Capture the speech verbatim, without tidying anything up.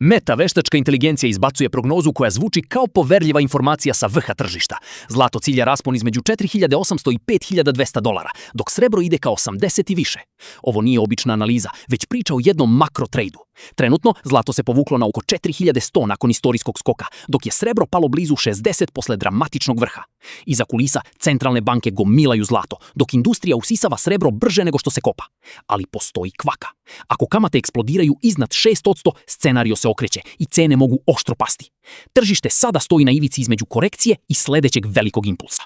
Meta veštačka inteligencija izbacuje prognozu koja zvuči kao poverljiva informacija sa vrha tržišta. Zlato cilja raspon između četiri hiljade osamsto i pet hiljada dvesta dolara, dok srebro ide ka osamdeset i više. Ovo nije obična analiza, već priča o jednom makro trejdu. Trenutno, zlato se povuklo na oko četiri hiljade sto nakon istorijskog skoka, dok je srebro palo blizu šezdeset posle dramatičnog vrha. Iza kulisa centralne banke gomilaju zlato, dok industrija usisava srebro brže nego što se kopa. Ali postoji kvaka. Ako kamate eksplodiraju iznad šest posto, scenario se okreće i cene mogu oštro pasti. Tržište sada stoji na ivici između korekcije i sledećeg velikog impulsa.